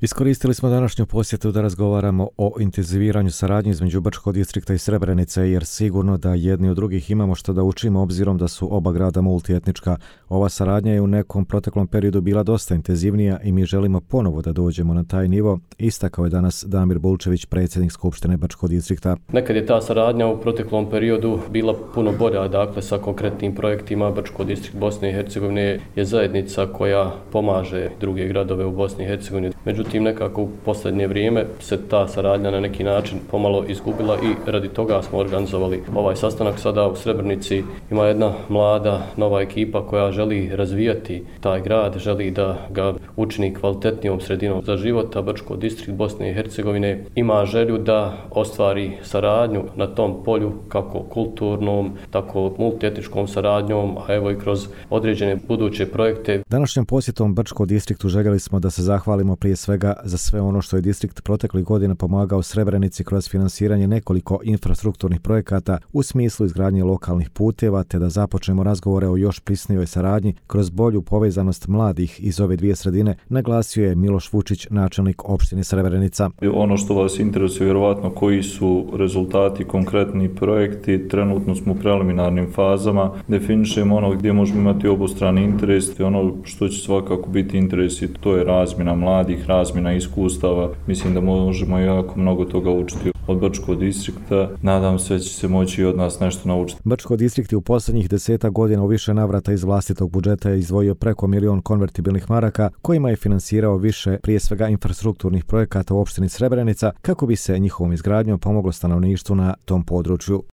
Iskoristili smo današnju posjetu da razgovaramo o intenziviranju saradnje između Brčkog distrikta i Srebrenice, jer sigurno da jedni od drugih imamo što da učimo obzirom da su oba grada multietnička. Ova saradnja je u nekom proteklom periodu bila dosta intenzivnija i mi želimo ponovo da dođemo na taj nivo, istakao je danas Damir Bulčević, predsjednik Skupštine Brčkog distrikta. Nekad je ta saradnja u proteklom periodu bila puno bolja, dakle sa konkretnim projektima. Brčko distrikt Bosne i Hercegovine je zajednica koja pomaže druge gradove u Bosni i Hercegovini. Međutim, nekako u posljednje vrijeme se ta saradnja na neki način pomalo izgubila i radi toga smo organizovali ovaj sastanak sada u Srebrenici. Ima jedna mlada, nova ekipa koja želi razvijati taj grad, želi da ga učini kvalitetnijom sredinom za život, a Brčko distrikt Bosne i Hercegovine ima želju da ostvari saradnju na tom polju, kako kulturnom, tako multietničkom saradnjom, a evo i kroz određene buduće projekte. Današnjom posjetom Brčkom distriktu željeli smo da se zahvalimo prije svega za sve ono što je distrikt proteklih godina pomagao Srebrenici kroz finansiranje nekoliko infrastrukturnih projekata u smislu izgradnje lokalnih puteva, te da započnemo razgovore o još prisnijoj saradnji kroz bolju povezanost mladih iz ove dvije sredine, naglasio je Miloš Vučić, načelnik opštine Srebrenica. Ono što vas interesuje vjerovatno koji su rezultati, konkretni projekti, trenutno smo u preliminarnim fazama, definišemo ono gdje možemo imati obostrani interes i ono što će svakako biti interes, to je razmjena mladih, razmjena iskustava. Mislim da možemo jako mnogo toga učiti od Brčkog distrikta. Nadam se da će se moći i od nas nešto naučiti. Brčko distrikt je u posljednjih 10 godina u više navrata iz vlastitog budžeta izdvojio preko 1 milion konvertibilnih maraka, kojima je finansirao više prije svega infrastrukturnih projekata u opštini Srebrenica kako bi se njihovom izgradnjom pomoglo stanovništvu na tom području.